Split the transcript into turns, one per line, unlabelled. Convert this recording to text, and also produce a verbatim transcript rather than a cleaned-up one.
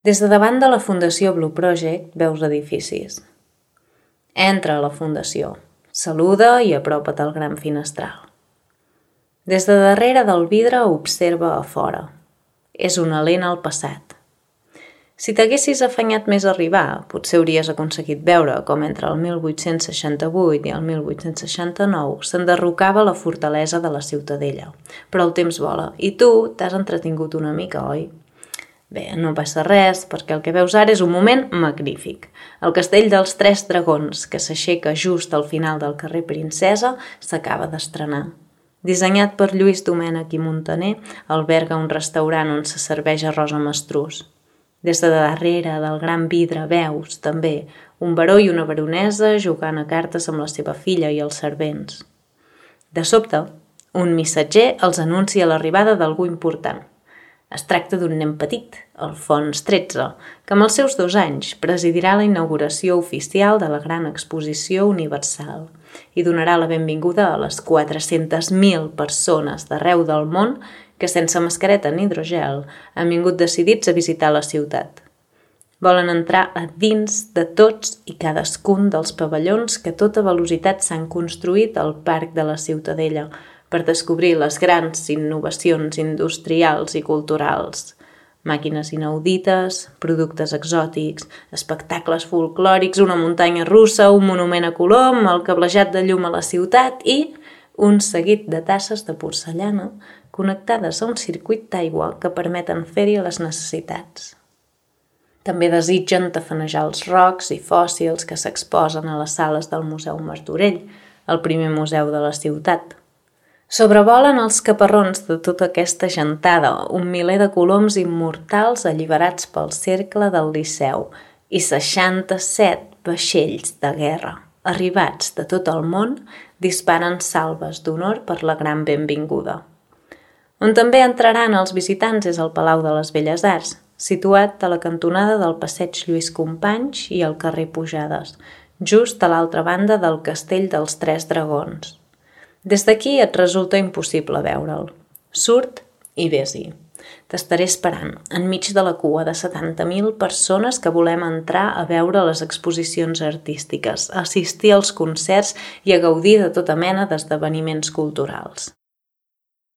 Des de davant de la Fundació Blue Project veus edificis. Entra a la fundació, saluda i apropa't al gran finestral. Des de darrere del vidre observa a fora. És una lent al passat. Si t'haguessis afanyat més a arribar, potser hauries aconseguit veure com entre el mil vuit-cents seixanta-vuit i el mil vuit-cents seixanta-nou s'enderrocava la fortalesa de la Ciutadella. Però el temps vola i tu t'has entretingut una mica, oi? Bé, no passa res, perquè el que veus ara és un moment magnífic. El castell dels Tres Dragons, que s'aixeca just al final del carrer Princesa, s'acaba d'estrenar. Dissenyat per Lluís Domènech i Muntaner, alberga un restaurant on se serveix arròs amb estrus. Des de darrere del gran vidre veus, també, un baró i una baronesa jugant a cartes amb la seva filla i els servents. De sobte, un missatger els anuncia l'arribada d'algú important. Es tracta d'un nen petit, Alfons tretze, que amb els seus dos anys presidirà la inauguració oficial de la Gran Exposició Universal i donarà la benvinguda a les quatre-centes mil persones d'arreu del món que sense mascareta ni hidrogel han vingut decidits a visitar la ciutat. Volen entrar a dins de tots i cadascun dels pavellons que a tota velocitat s'han construït al Parc de la Ciutadella per descobrir les grans innovacions industrials i culturals. Màquines inaudites, productes exòtics, espectacles folclòrics, una muntanya russa, un monument a Colom, el cablejat de llum a la ciutat i un seguit de tasses de porcellana connectades a un circuit d'aigua que permeten fer-hi les necessitats. També desitgen tafanejar els rocs i fòssils que s'exposen a les sales del Museu Martorell, el primer museu de la ciutat. Sobrevolen els caparrons de tota aquesta gentada, un miler de coloms immortals alliberats pel cercle del Liceu i seixanta-set vaixells de guerra, arribats de tot el món, disparen salves d'honor per la gran benvinguda. On també entraran els visitants és el Palau de les Belles Arts, situat a la cantonada del passeig Lluís Companys i al carrer Pujades, just a l'altra banda del castell dels Tres Dragons. Des d'aquí et resulta impossible veure'l. Surt i vés-hi. T'estaré esperant, enmig de la cua de setanta mil persones que volem entrar a veure les exposicions artístiques, a assistir als concerts i a gaudir de tota mena d'esdeveniments culturals.